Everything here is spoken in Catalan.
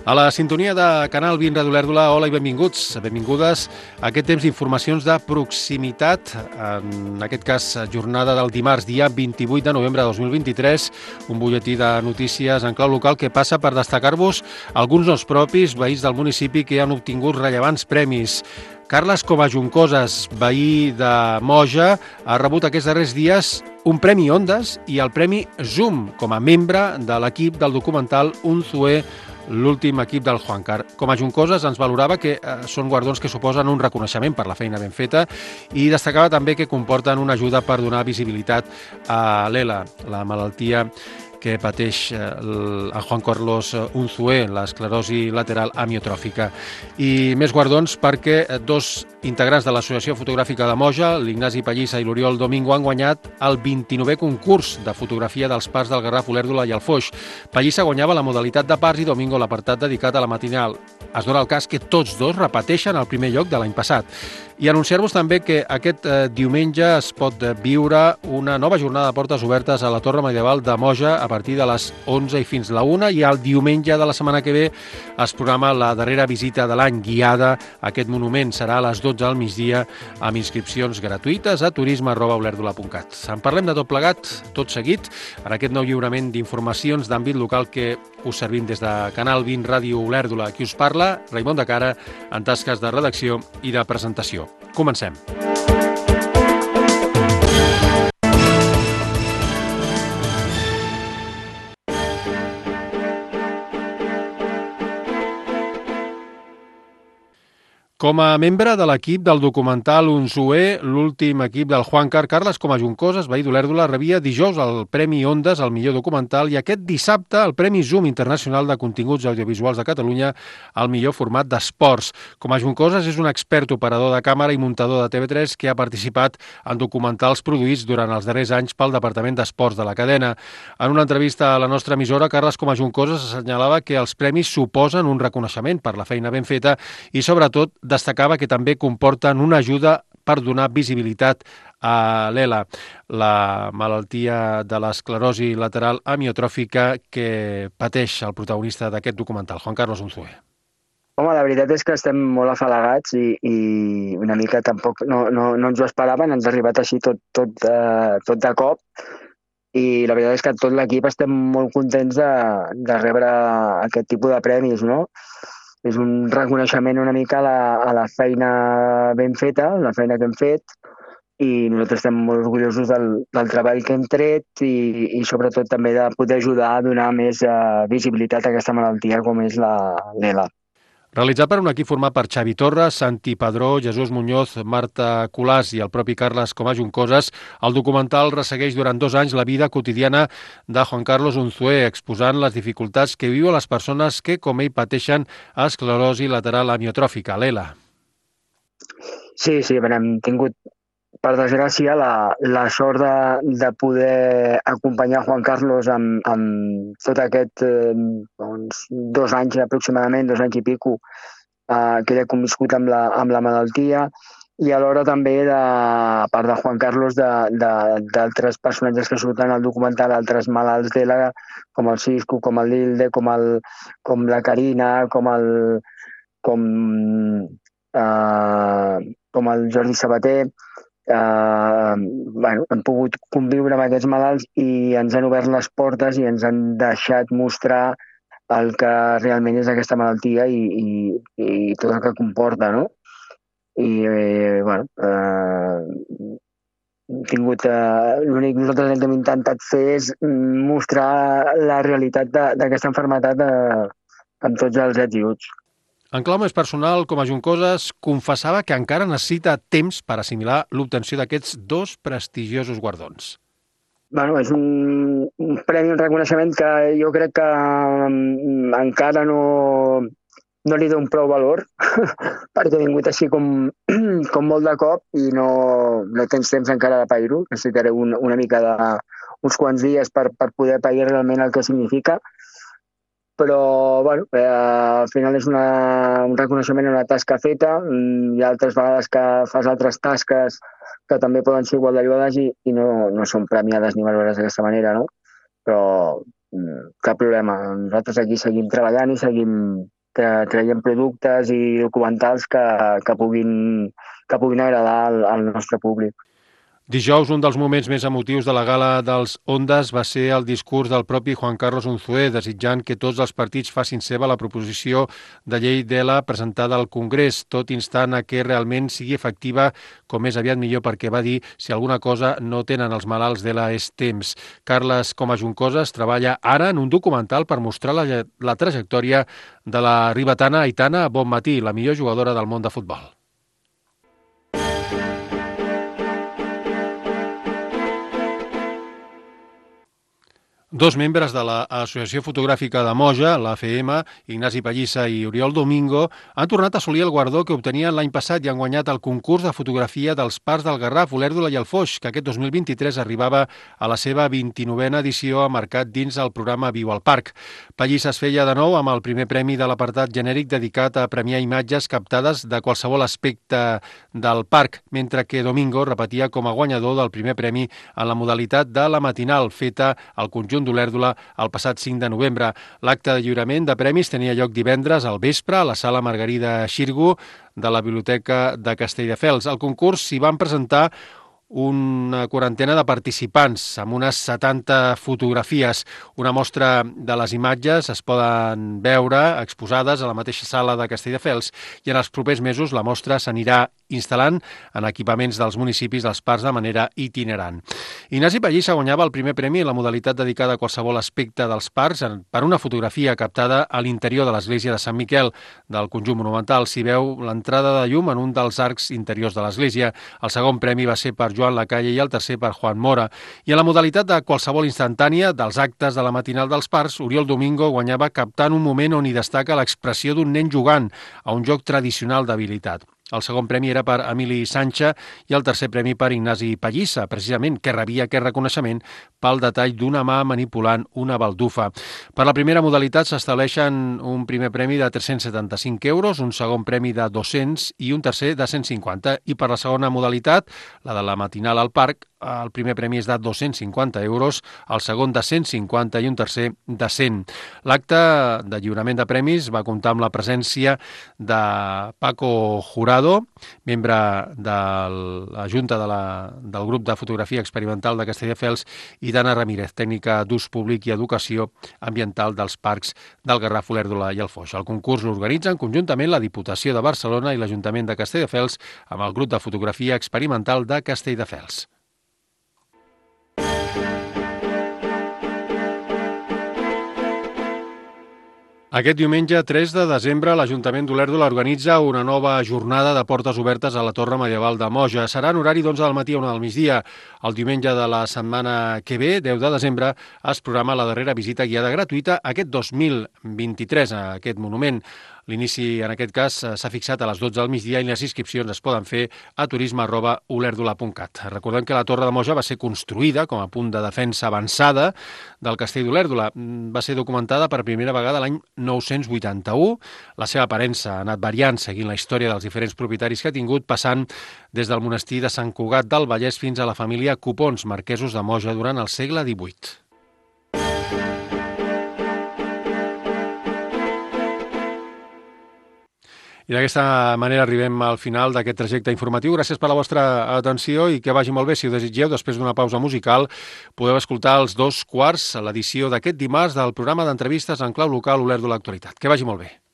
A la sintonia de Canal 20 Ràdio Olèrdola, hola i benvinguts, benvingudes a aquest temps d'informacions de proximitat, en aquest cas jornada del dimarts, dia 28 de novembre de 2023, un butlletí de notícies en clau local que passa per destacar-vos alguns dels propis veïns del municipi que han obtingut rellevants premis. Carles Comajuncoses, veí de Moja, ha rebut aquests darrers dies un Premi Ondas i el Premi Zoom com a membre de l'equip del documental Unzué, l'últim equip del Juancar. Comajuncoses ens valorava que són guardons que suposen un reconeixement per la feina ben feta i destacava també que comporten una ajuda per donar visibilitat a l'ELA, la malaltia que pateix el Juan Carlos Unzué, l'esclerosi lateral amiotròfica. I més guardons perquè dos integrants de l'Associació Fotogràfica de Moja, l'Ignasi Pallissa i l'Oriol Domingo, han guanyat el 29è concurs de fotografia dels parcs del Garraf, Olèrdola i el Foix. Pallissa guanyava la modalitat de parcs i Domingo l'apartat dedicat a la matinal. Es dona el cas que tots dos repeteixen el primer lloc de l'any passat. I anunciar-vos també que aquest diumenge es pot viure una nova jornada de portes obertes a la Torre Medieval de Moja a partir de les 11 i fins la 1, i el diumenge de la setmana que ve es programa la darrera visita de l'any guiada a aquest monument. Serà a les 12 al migdia amb inscripcions gratuïtes a turisme@olèrdola.cat. En parlem de tot plegat, tot seguit, en aquest nou lliurament d'informacions d'àmbit local que us servim des de Canal 20 Ràdio Olèrdola. Qui us parla, Raimon de Cara, en tasques de redacció i de presentació. Comencem. Com a membre de l'equip del documental Unzué, l'últim equip del Juancar, Carles Comajuncoses, veí d'Olèrdola, rebia dijous el Premi Ondas al millor documental i aquest dissabte el Premi Zoom Internacional de Continguts Audiovisuals de Catalunya al millor format d'esports. Comajuncoses és un expert operador de càmera i muntador de TV3 que ha participat en documentals produïts durant els darrers anys pel Departament d'Esports de la cadena. En una entrevista a la nostra emissora, Carles Comajuncoses assenyalava que els premis suposen un reconeixement per la feina ben feta i, sobretot, destacava que també comporten una ajuda per donar visibilitat a l'ELA, la malaltia de l'esclerosi lateral amiotròfica que pateix el protagonista d'aquest documental, Juan Carlos Unzué. Home, la veritat és que estem molt afalagats i una mica tampoc no ens ho esperàvem, ens ha arribat així tot de cop, i la veritat és que tot l'equip estem molt contents de rebre aquest tipus de premis, no? És un reconeixement una mica a la feina ben feta, la feina que hem fet, i nosaltres estem molt orgullosos del treball que hem tret i sobretot també de poder ajudar a donar més visibilitat a aquesta malaltia com és l'ELA. Realitzat per un equip format per Xavi Torres, Santi Padró, Jesús Muñoz, Marta Colàs i el propi Carles Comajuncoses, el documental ressegueix durant 2 anys la vida quotidiana de Juan Carlos Unzué, exposant les dificultats que viuen les persones que, com ell, pateixen esclerosi lateral amiotròfica, l'ELA. Sí, hem tingut, per desgràcia, la sort de poder acompanyar Juan Carlos amb tot aquest 2 anys aproximadament, 2 anys i pico, que ell ha conviscut amb la malaltia, i alhora també, a part de Juan Carlos, d'altres personatges que surten al documental, altres malalts d'ELA, com el Cisco, com el Lilde, com la Carina, com el Jordi Sabater. Hem pogut conviure amb aquests malalts i ens han obert les portes i ens han deixat mostrar el que realment és aquesta malaltia i tot el que comporta, no? I, l'únic que nosaltres hem intentat fer és mostrar la realitat d'aquesta malaltia amb tots els ets i uts. En clau més personal, Comajuncoses confessava que encara necessita temps per assimilar l'obtenció d'aquests 2 prestigiosos guardons. És un premi, un reconeixement que jo crec que encara no li dono prou valor, perquè he vingut així com molt de cop i no tens temps encara de pair-ho. Necessitaré una mica uns quants dies per poder pair realment el que significa. Però, al final és un reconeixement a una tasca feta. Hi ha altres vegades que fas altres tasques que també poden ser igual d'allò i no són premiades ni valorades d'aquesta manera, no? Però cap problema. Nosaltres aquí seguim treballant i seguim traient productes i documentals que puguin agradar al nostre públic. Dijous, un dels moments més emotius de la gala dels Ondas va ser el discurs del propi Juan Carlos Unzué, desitjant que tots els partits facin seva la proposició de llei d'ELA presentada al Congrés, tot instant a que realment sigui efectiva com més aviat millor, perquè va dir si alguna cosa no tenen els malalts d'ELA és temps. Carles Coma Juncoses treballa ara en un documental per mostrar la trajectòria de la ribetana Aitana Bonmatí, la millor jugadora del món de futbol. Dos membres de l'Associació Fotogràfica de Moja, l'AFM, Ignasi Pallissa i Oriol Domingo, han tornat a assolir el guardó que obtenien l'any passat i han guanyat el concurs de fotografia dels Parcs del Garraf, Olèrdola i el Foix, que aquest 2023 arribava a la seva 29a edició marcat dins el programa Viu al Parc. Pallissa es feia de nou amb el primer premi de l'apartat genèric dedicat a premiar imatges captades de qualsevol aspecte del parc, mentre que Domingo repetia com a guanyador del primer premi en la modalitat de la matinal feta al conjunt d'Olèrdola el passat 5 de novembre. L'acte de lliurament de premis tenia lloc divendres al vespre a la sala Margarida Xirgu de la Biblioteca de Castelldefels. Al concurs s'hi van presentar una quarantena de participants amb unes 70 fotografies. Una mostra de les imatges es poden veure exposades a la mateixa sala de Castelldefels i en els propers mesos la mostra s'anirà instal·lant en equipaments dels municipis dels parcs de manera itinerant. Ignasi Pallissa guanyava el primer premi en la modalitat dedicada a qualsevol aspecte dels parcs per una fotografia captada a l'interior de l'església de Sant Miquel del conjunt monumental. S'hi veu l'entrada de llum en un dels arcs interiors de l'església. El segon premi va ser per Joan Lacalle i el tercer per Juan Mora. I en la modalitat de qualsevol instantània dels actes de la matinal dels parcs, Oriol Domingo guanyava captant un moment on hi destaca l'expressió d'un nen jugant a un joc tradicional d'habilitat. El segon premi era per Emili Sancha i el tercer premi per Ignasi Pallissa, precisament, que rebia aquest reconeixement pel detall d'una mà manipulant una baldufa. Per la primera modalitat s'estableixen un primer premi de 375 euros, un segon premi de 200 i un tercer de 150. I per la segona modalitat, la de la matinal al parc, el primer premi és de 250 euros, el segon de 150 i un tercer de 100. L'acte de lliurament de premis va comptar amb la presència de Paco Jurado, membre de la Junta del grup de fotografia experimental de Castelldefels, i d'Anna Ramírez, tècnica d'ús públic i educació ambiental dels parcs del Garraf, Olèrdola i el Foix. El concurs l'organitzen conjuntament la Diputació de Barcelona i l'Ajuntament de Castelldefels amb el grup de fotografia experimental de Castelldefels. Aquest diumenge 3 de desembre l'Ajuntament d'Olèrdola organitza una nova jornada de portes obertes a la Torre Medieval de Moja. Serà en horari d'11 del matí a 1 del migdia. El diumenge de la setmana que ve, 10 de desembre, es programa la darrera visita guiada gratuïta aquest 2023 a aquest monument. L'inici, en aquest cas, s'ha fixat a les 12 del migdia i les inscripcions es poden fer a turisme@olèrdola.cat. Recordem que la Torre de Moja va ser construïda com a punt de defensa avançada del castell d'Olèrdola. Va ser documentada per primera vegada l'any 981. La seva aparença ha anat variant seguint la història dels diferents propietaris que ha tingut, passant des del monestir de Sant Cugat del Vallès fins a la família Copons, marquesos de Moja, durant el segle XVIII. I d'aquesta manera arribem al final d'aquest trajecte informatiu. Gràcies per la vostra atenció i que vagi molt bé. Si ho desitgeu, després d'una pausa musical, podeu escoltar els 2 quarts a l'edició d'aquest dimarts del programa d'entrevistes en clau local Olèrdola Actualitat. Que vagi molt bé.